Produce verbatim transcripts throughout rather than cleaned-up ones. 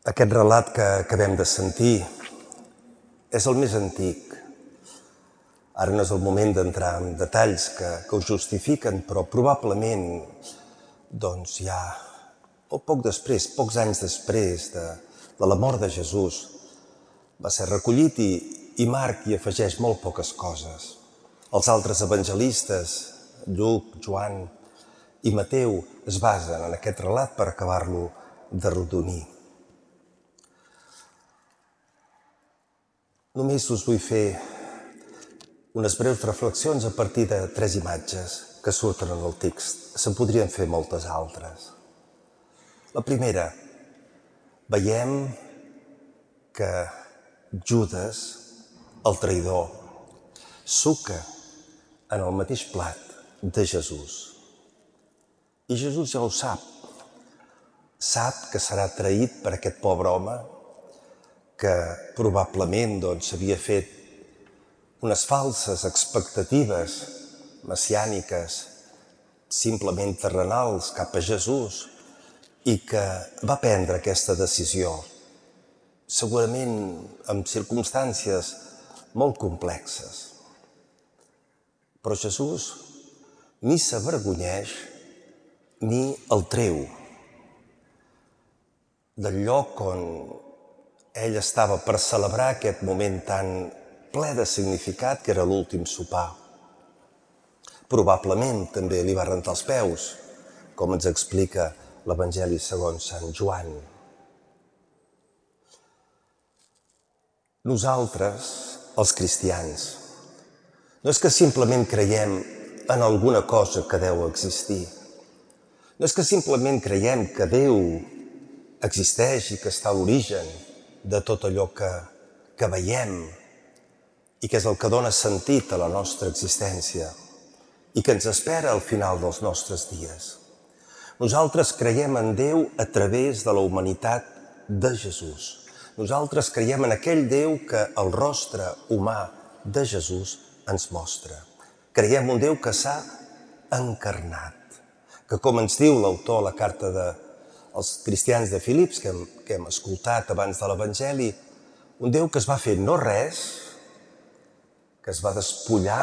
Aquest relat que acabem de sentir és el més antic. Ara no és el moment d'entrar en detalls que, que ho justifiquen, però probablement doncs, ja molt poc després, pocs anys després de, de la mort de Jesús, va ser recollit i, i Marc hi afegeix molt poques coses. Els altres evangelistes, Lluc, Joan i Mateu, es basen en aquest relat per acabar-lo d'arrodonir. Només us vull fer unes breus reflexions a partir de tres imatges que surten en el text. Se'n podrien fer moltes altres. La primera, veiem que Judes, el traïdor, suca en el mateix plat de Jesús. I Jesús ja ho sap. Sap que serà traït per aquest pobre home que probablement doncs, havia fet unes falses expectatives messiàniques, simplement terrenals, cap a Jesús, i que va prendre aquesta decisió, segurament en circumstàncies molt complexes. Però Jesús ni s'avergonyeix ni el treu del lloc on ell estava per celebrar aquest moment tan ple de significat que era l'últim sopar. Probablement també li va rentar els peus, com ens explica l'Evangeli segons Sant Joan. Nosaltres, els cristians, no és que simplement creiem en alguna cosa que deu existir. No és que simplement creiem que Déu existeix i que està a l'origen de tot allò que, que veiem i que és el que dona sentit a la nostra existència i que ens espera al final dels nostres dies. Nosaltres creiem en Déu a través de la humanitat de Jesús. Nosaltres creiem en aquell Déu que el rostre humà de Jesús ens mostra. Creiem un Déu que s'ha encarnat, que com ens diu l'autor a la carta de els cristians de Filips, que hem, que hem escoltat abans de l'Evangeli, un Déu que es va fer no res, que es va despullar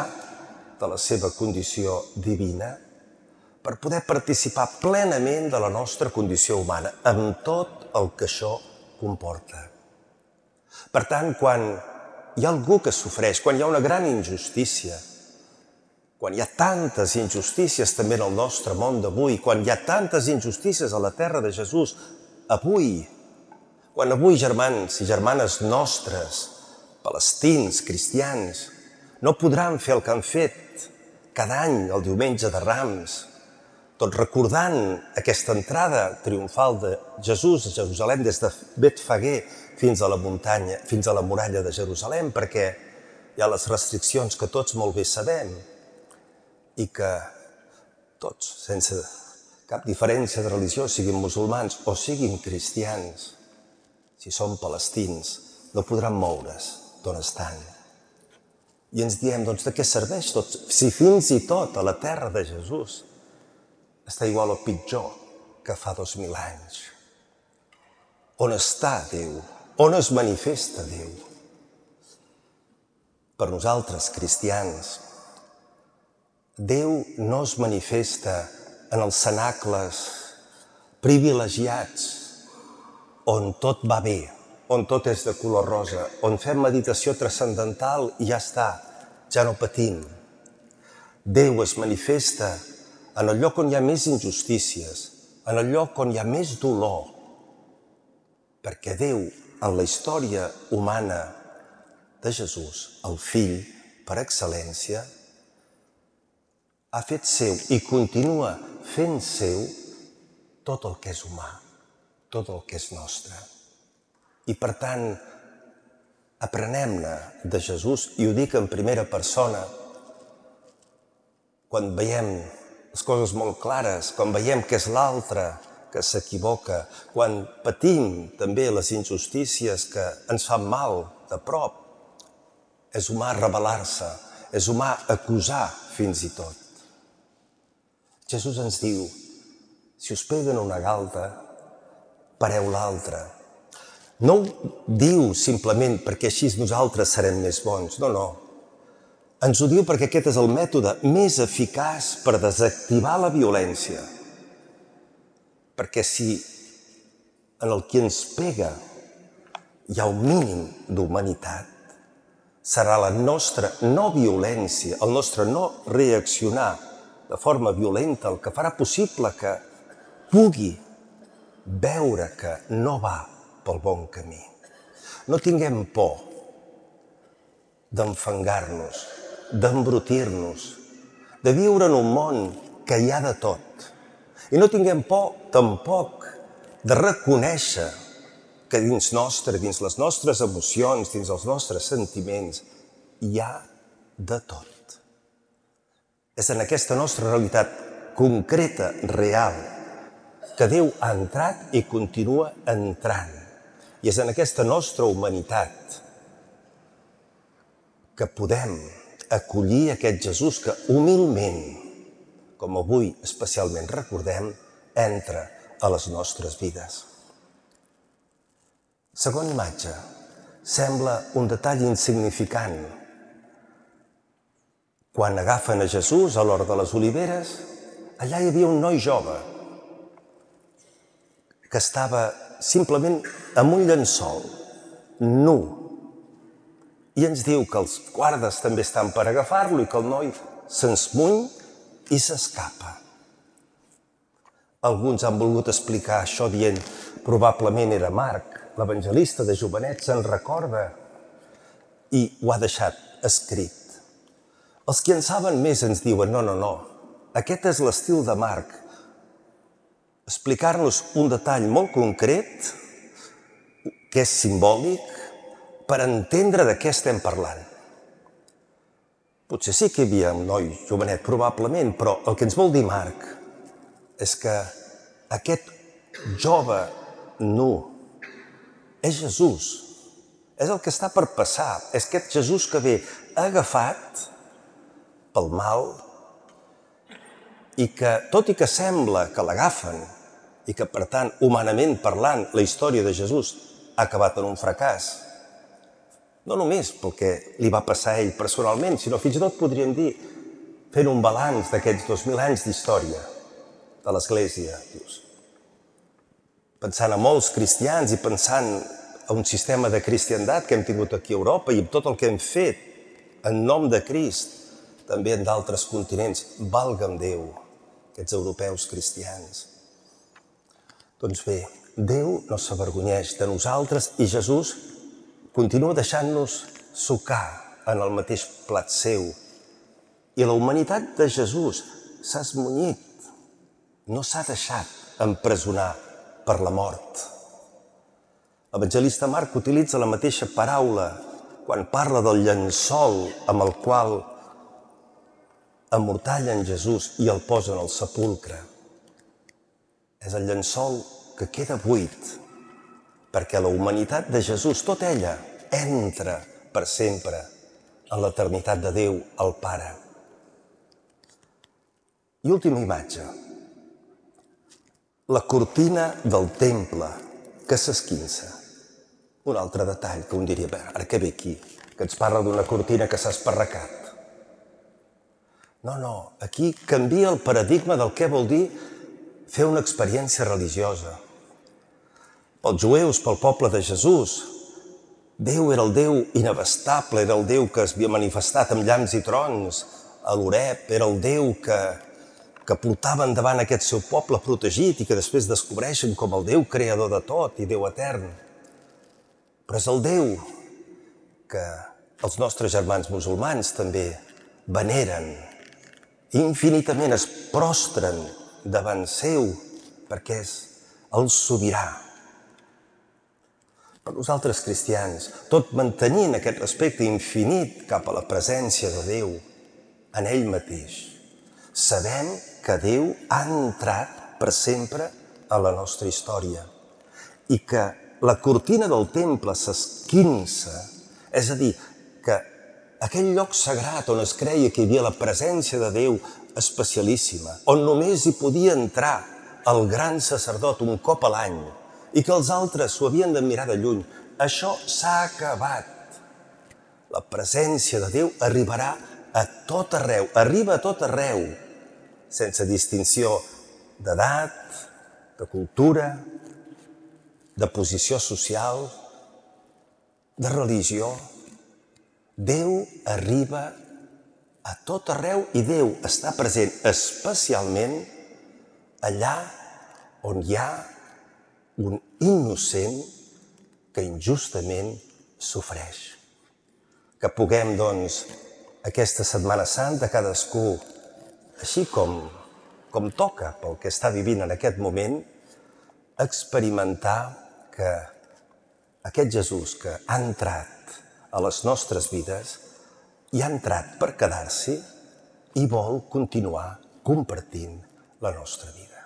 de la seva condició divina per poder participar plenament de la nostra condició humana, amb tot el que això comporta. Per tant, quan hi ha algú que sofreix, quan hi ha una gran injustícia, quan hi ha tantes injustícies també en el nostre món d'avui, quan hi ha tantes injustícies a la terra de Jesús avui, quan avui germans i germanes nostres, palestins, cristians, no podran fer el que han fet cada any el diumenge de Rams, tot recordant aquesta entrada triomfal de Jesús a Jerusalem des de Betfagé fins a la muntanya, fins a la muralla de Jerusalem, perquè hi ha les restriccions que tots molt bé sabem, i que tots, sense cap diferència de religió, siguin musulmans o siguin cristians, si són palestins, no podran moure's d'on estan. I ens diem, doncs, de què serveix tot? Si fins i tot a la terra de Jesús està igual o pitjor que fa dos mil anys. On està Déu? On es manifesta Déu? Per nosaltres, cristians, Déu no es manifesta en els cenacles privilegiats on tot va bé, on tot és de color rosa, on fem meditació transcendental i ja està, ja no patim. Déu es manifesta en el lloc on hi ha més injustícies, en el lloc on hi ha més dolor, perquè Déu, en la història humana de Jesús, el Fill, per excel·lència, ha fet seu i continua fent seu tot el que és humà, tot el que és nostre. I per tant, aprenem-ne de Jesús, i ho dic en primera persona, quan veiem les coses molt clares, quan veiem que és l'altre que s'equivoca, quan patim també les injustícies que ens fan mal de prop, és humà rebel·lar-se, és humà acusar fins i tot. Jesús ens diu, si us peguen una galta, pareu l'altra. No ho diu simplement perquè així nosaltres serem més bons, no, no. Ens ho diu perquè aquest és el mètode més eficaç per desactivar la violència. Perquè si en el qui ens pega hi ha un mínim d'humanitat, serà la nostra no violència, el nostre no reaccionar de forma violenta el que farà possible que pugui veure que no va pel bon camí. No tinguem por d'enfangar-nos, d'embrutir-nos, de viure en un món que hi ha de tot. I no tinguem por, tampoc, de reconèixer que dins nostre, dins les nostres emocions, dins els nostres sentiments, hi ha de tot. És en aquesta nostra realitat concreta, real, que Déu ha entrat i continua entrant. I és en aquesta nostra humanitat que podem acollir aquest Jesús que humilment, com avui especialment recordem, entra a les nostres vides. Segon imatge, sembla un detall insignificant. Quan agafen a Jesús a l'hort de les oliveres, allà hi havia un noi jove que estava simplement amb un llençol, nu. I ens diu que els guardes també estan per agafar-lo i que el noi s'ensmuny i s'escapa. Alguns han volgut explicar això dient probablement era Marc, l'evangelista de jovenet, se'n recorda i ho ha deixat escrit. Els qui en saben més ens diuen no, no, no, aquest és l'estil de Marc, explicar-nos un detall molt concret que és simbòlic per entendre de què estem parlant. Potser sí que hi havia un noi jovenet, probablement, però el que ens vol dir Marc és que aquest jove nu és Jesús, és el que està per passar, és aquest Jesús que ve agafat pel mal i que, tot i que sembla que l'agafen i que, per tant, humanament parlant, la història de Jesús ha acabat en un fracàs, no només pel que li va passar a ell personalment, sinó fins i tot podríem dir fent un balanç d'aquests dos mil anys d'història de l'Església. Pensant en molts cristians i pensant en un sistema de cristiandat que hem tingut aquí a Europa i en tot el que hem fet en nom de Crist, també en d'altres continents, valga'm Déu, aquests europeus cristians. Doncs bé, Déu no s'avergonyeix de nosaltres i Jesús continua deixant-nos sucar en el mateix plat seu. I la humanitat de Jesús s'ha esmunyit, no s'ha deixat empresonar per la mort. L'evangelista Marc utilitza la mateixa paraula quan parla del llençol amb el qual emmortallen Jesús i el posen al sepulcre. És el llençol que queda buit, perquè la humanitat de Jesús, tota ella, entra per sempre en l'eternitat de Déu, el Pare. I última imatge, la cortina del temple que s'esquinça. Un altre detall que un diria, bé, ara que ve aquí, que ens parla d'una cortina que s'ha esparracat. No, no, aquí canvia el paradigma del que vol dir fer una experiència religiosa. Pels jueus, pel poble de Jesús, Déu era el Déu inabastable, era el Déu que es havia manifestat amb llams i trons a l'Oreb, era el Déu que, que portava endavant aquest seu poble protegit i que després descobreixen com el Déu creador de tot i Déu etern. Però és el Déu que els nostres germans musulmans també veneren, infinitament es prostren davant seu, perquè és el sobirà. Per nosaltres cristians, tot mantenint aquest respecte infinit cap a la presència de Déu en ell mateix, sabem que Déu ha entrat per sempre a la nostra història i que la cortina del temple s'esquinça, és a dir, que aquell lloc sagrat on es creia que hi havia la presència de Déu especialíssima, on només hi podia entrar el gran sacerdot un cop a l'any, i que els altres s'ho havien de mirar de lluny. Això s'ha acabat. La presència de Déu arribarà a tot arreu, arriba a tot arreu, sense distinció d'edat, de cultura, de posició social, de religió. Déu arriba a tot arreu i Déu està present especialment allà on hi ha un innocent que injustament sofreix. Que puguem, doncs, aquesta Setmana Santa, cadascú, així com, com toca pel que està vivint en aquest moment, experimentar que aquest Jesús que ha entrat a les nostres vides i ha entrat per quedar-s'hi i vol continuar compartint la nostra vida.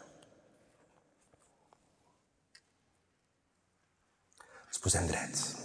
Ens posem drets.